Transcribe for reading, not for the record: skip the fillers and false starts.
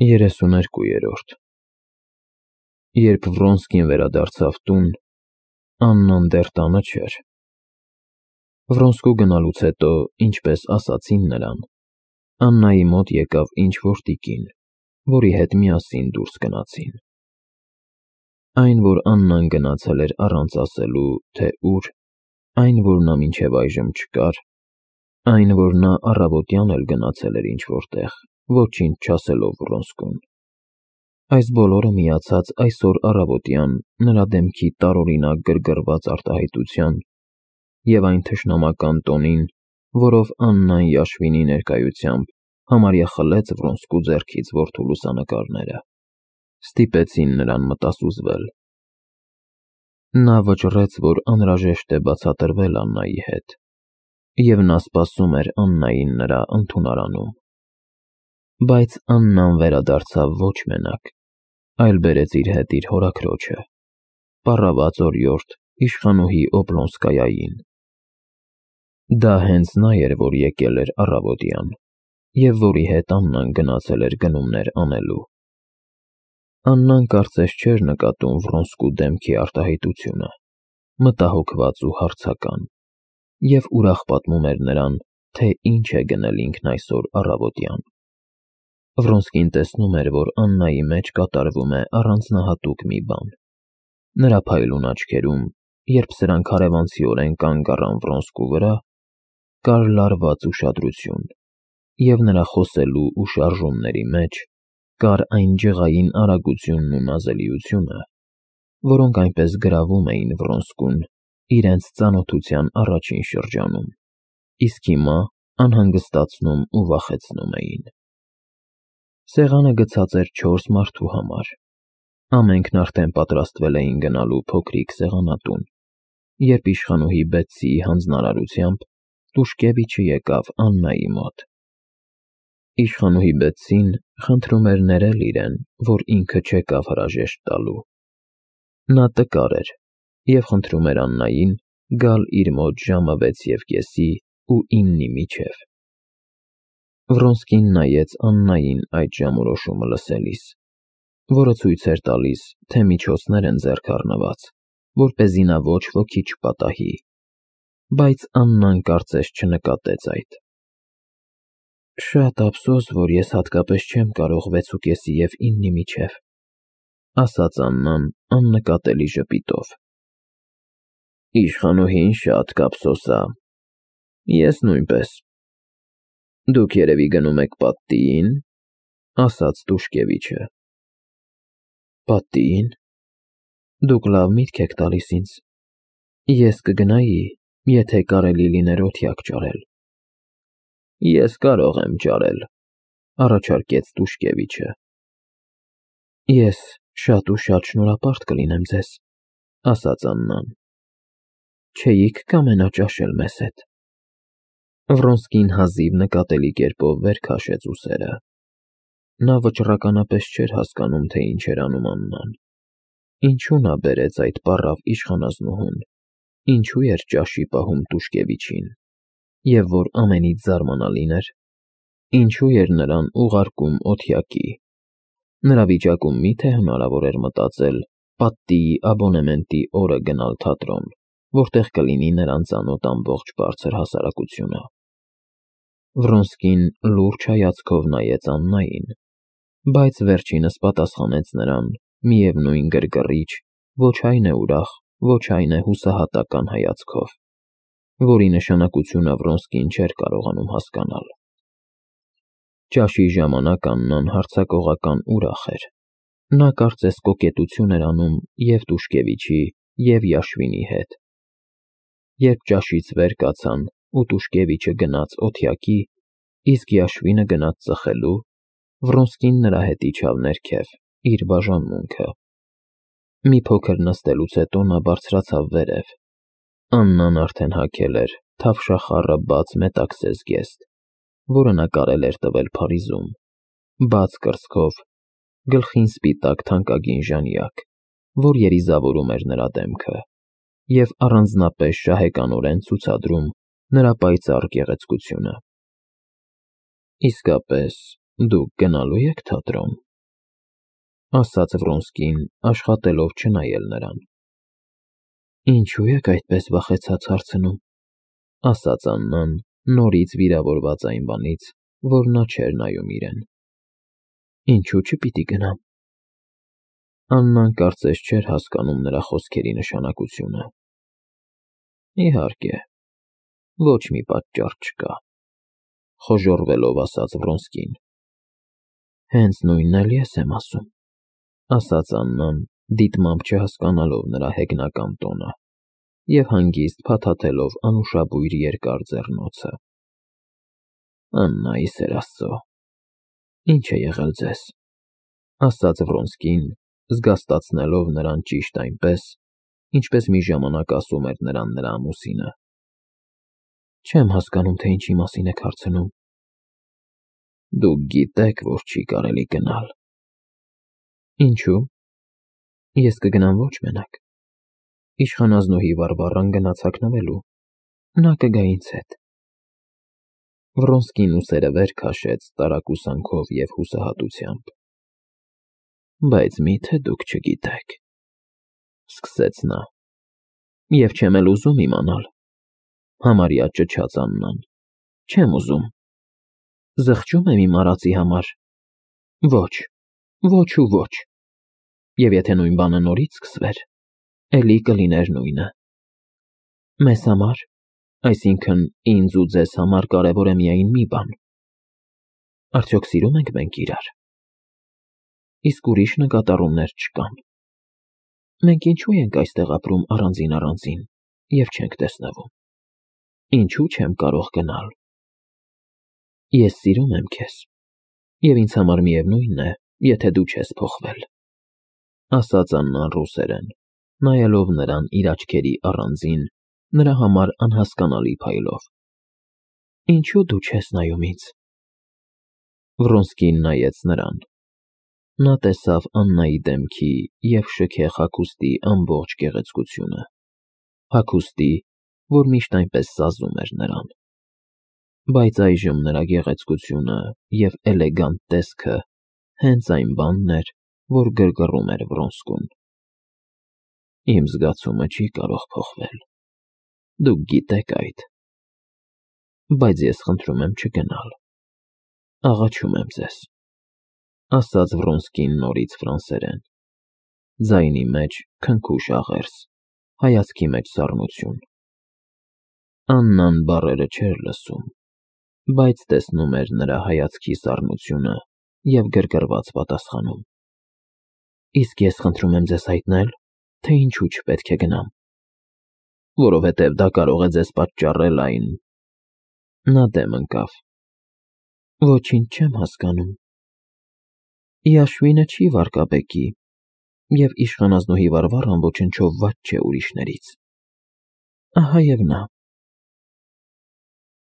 32-րդ Երբ Վրոնսկին վերադարձավ տուն, Աննան դեռ տանը չէր։ Վրոնսկու գնալուց հետո, ինչպես ասացին նրան, Աննայի մոտ եկավ ինչ-որ տիկին, որի հետ միասին դուրս գնացին։ Այն, որ Աննան գնացել էր առանց ասելու, թե ուր, այն, որ նա մինչև այժմ չկար, այն, որ նա առավոտյան էլ գնացել էր ինչ-որ տեղ, ոչինչ չասելով Վրոնսկուն, այս բոլորը միացած այսօր առավոտյան նրա դեմքի տարօրինակ գրգռված արտահայտության և այն թշնամական տոնին, որով Աննան Յաշվինի ներկայությամբ համարյա խլեց Վրոնսկու ձեռքից որդու լուսանկարները, ստիպեցին նրան մտասուզվել։ Նա վճռեց, որ անհրաժեշտ է բացատրվել Աննայի հետ, և նա սպասում էր Աննային նրա ընդունարանում։ Բայց Աննան վերադարձավ ոչ մենակ, այլ բերեց իր հետ իր հորաքրոջը, պառաված օրիորդ իշխանուհի Օբլոնսկայային։ Դա հենց նա էր, որ եկել էր առավոտյան, և որի հետ Աննան գնացել էր գնումներ անելու։ Աննան կարծես չէր նկատում Վրոնսկու դեմքի արտահայտությունը, մտահոգված ու հարցական, և ուրախ պատմում էր նրան, թե ինչ է գնել ինքն այսօր առավոտյան։ Վրոնսկին տեսնում էր, որ Աննայի մեջ կատարվում է առանձնահատուկ մի բան։ Նրա փայլուն աչքերում, երբ սրանք հարևանցիորեն կանգ առան Վրոնսկու վրա, կար լարված ուշադրություն, և նրա խոսելու ու շարժումների մեջ կար այն ջղային արագությունն ու նազելիությունը, որոնք այնպես գրավում էին Վրոնսկուն իրենց ծանոթության առաջին շրջանում, իսկ հիմա անհանգստացնում ու վախեցնում էին։ Սեղանը գցած էր 4 մարդու համար։ Ամենքն արդեն պատրաստվել էին գնալու փոքրիկ սեղանատուն, երբ իշխանուհի Բետսիի հանձնարարությամբ Տուշկևիչը եկավ Աննայի մոտ։ Իշխանուհի Բետսին խնդրում էր ներել իրեն, որ ինքը չեկավ հրաժեշտ տալու։ Նա տկար էր և խնդրում էր Աննային գալ իր մոտ ժամը 6:30 ու 9-ի միջև։ Վրոնսկին նայեց Աննային այդ ժամորոշումը լսելիս, որը ցույց էր տալիս, թե միջոցներ են ձեռք առնված, որպեսզի նա ոչ ոքի չպատահի, բայց Աննան կարծես չնկատեց այդ։ «Շատ ափսոս, որ ես հատկապես չեմ կարող 6:30 և 9-ի միջև», ասաց Աննան աննկատելի ժպիտով։ «Իշխանուհին շատ կափսոսա, ես նույնպես։ Դուք երևի գնում եք պատտիին», ասաց Տուշկևիչը։ «Պատտիին։ Դուք լավ միտք եք տալիս ինձ։ Ես կգնայի, եթե կարելի լիներ օթյակ ճարել»։ «Ես կարող եմ ճարել», առաջարկեց Տուշկևիչը։ «Ես շատ ու շատ շնորհապարտ կլինեմ ձեզ», ասաց Աննան։ «Չէի՞ք կամենա ճաշել մեզ հետ»։ Վրոնսկին հազիվ նկատելի կերպով վեր քաշեց ուսերը։ Նա վճռականապես չէր հասկանում, թե ինչ էր անում Աննան։ Ինչու նա բերեց այդ պառավ իշխանազնուհուն, ինչու էր ճաշի պահում Տուշկևիչին, և որ ամենից զարմանալին էր, ինչու էր նրան ուղարկում օթյակի։ Նրա վիճակում մի՞թե հնարավոր էր մտածել պատտիի աբոնեմենտի օրը գնալ թատրոն, որտեղ կլինի նրան ծանոթ ամբողջ բարձր հասարակությունը։ Վրոնսկին լուրջ հայացքով նայեց Աննային, բայց վերջինս պատասխանեց նրան միևնույն գրգռիչ, ոչ այն է ուրախ, ոչ այն է հուսահատական հայացքով, որի նշանակությունը Վրոնսկին չէր կարողանում հասկանալ։ Ճաշի ժամանակ Աննան հարձակողական ուրախ էր։ Նա կարծես կոկետություն էր անում և Տուշկևիչի, և Յաշվինի հետ։ Երբ ճաշից վեր կացան ու Տուշկևիչը գնաց օթյակի, իսկ Յաշվինը գնաց ծխելու, Վրոնսկին նրա հետ իջավ ներքև, իր բաժանմունքը։ Մի փոքր նստելուց հետո նա բարձրացավ վերև։ Աննան արդեն հագել էր թավշախառը բաց մետաքսե զգեստ, որը նա կարել էր տվել Փարիզում, բաց կրծքով, գլխին սպիտակ թանկագին ժանյակ, որ երիզավորում էր նրա դեմքը և առանձնապես շահեկանորեն ցուցադրում նրա պայծառ գեղեցկությունը։ «Իսկապես, դուք գնալո՞ւ եք թատրոն», ասաց Վրոնսկին, աշխատելով չնայել նրան։ Ինչու եք այդպես վախեցած հարցնում, ասաց Աննան, նորից վիրավորված այն բանից, որ նա չէր նայում իրեն։ Ինչու չպիտի գնամ։ Աննան կարծես չէր հասկանում նրա խոսքերի նշանակությունը։ Իհարկե, ոչ մի պատճառ չկա, խոժոռվելով ասաց Վրոնսկին։ Հենց նույնն էլ ես եմ ասում, ասաց Աննան, դիտմամբ չհասկանալով նրա հեգնական տոնը և հանգիստ փաթաթելով անուշաբույր երկար ձեռնոցը։ Աննա, ի սեր Աստծո, ինչ է եղել ձեզ, ասաց Վրոնսկին, զգաստացնելով նրան ճիշտ այնպես, ինչպես մի ժամանակ ասում էր նրան նրա ամուսինը։ Չեմ հասկանում, թե ինչի մասին եք հարցնում։ Դուք գիտեք, որ չի կարելի գնալ։ Ինչու։ Ես կգնամ ոչ մենակ։ Իշխանազնուհի Վարվառան գնաց հագնվելու։ Նա կգա ինձ հետ։ Վրոնսկին ուսերը վեր քաշեց տարակուսանքով և հուսահատությամբ։ Բայց մի՞թե դուք չգիտեք, սկսեց նա։ Եվ չեմ էլ ուզում իմանալ, համարյա ճչաց Աննան։ Չեմ ուզում։ Զղջում եմ իմ արածի համար։ Ոչ, ոչ ու ոչ։ Եվ եթե նույն բանը նորից սկսվեր, էլի կլիներ նույնը։ Մեզ համար, այսինքն ինձ ու ձեզ համար կարևոր է միայն մի բան. արդյոք սիրում ենք մենք իրար։ Իսկ ուրիշ նկատառումներ չկան։ Մենք ինչու ենք այստեղ ապրում առանձին և չենք տեսնվում։ Ինչու չեմ կարող գնալ։ Ես սիրում եմ քեզ, և ինձ համար միևնույն է, եթե դու չես փոխվել, ասաց Աննան ռուսերեն, նայելով նրան իր աչքերի առանձին, նրա համար անհասկանալի փայլով։ Ինչու դու չես նայում ինձ։ Վրոնսկին նայեց նրան։ Նա տեսավ Աննայի դեմքի և շքեղ հագուստի ամբողջ գեղեցկությունը, հագուստի, որ միշտ այնպես սազում էր նրան։ Բայց այժմ նրա գեղեցկությունը և էլեգանտ տեսքը հենց այն բանն էր, որ գրգռում էր Վրոնսկուն։ Իմ զգացումը չի կարող փոխվել, դուք գիտեք այդ։ Բայց ես խնդրում եմ չգնալ։ Աղաչում եմ ձեզ, ասաց Վրոնսկին նորից ֆրանսերեն, ձայնի մեջ քնքուշ աղերս, հայացքի մեջ սառնություն։ Աննան բառերը չէր լսում, բայց տեսնում էր նրա հայացքի սառնությունը և գրգռված պատասխանում։ Իսկ ես խնդրում եմ ձեզ հայտնել, թե ինչու չպետք է գնամ։ Որովհետև դա կարող է ձեզ պատճառել այն… Նա դեմ ընկավ։ Ոչինչ չեմ հասկանում։ Յաշվինը չի վարկաբեկի, և իշխանազնուհի Վարվառան ոչնչով վատ չէ ուրիշներից։ Ահա և նա։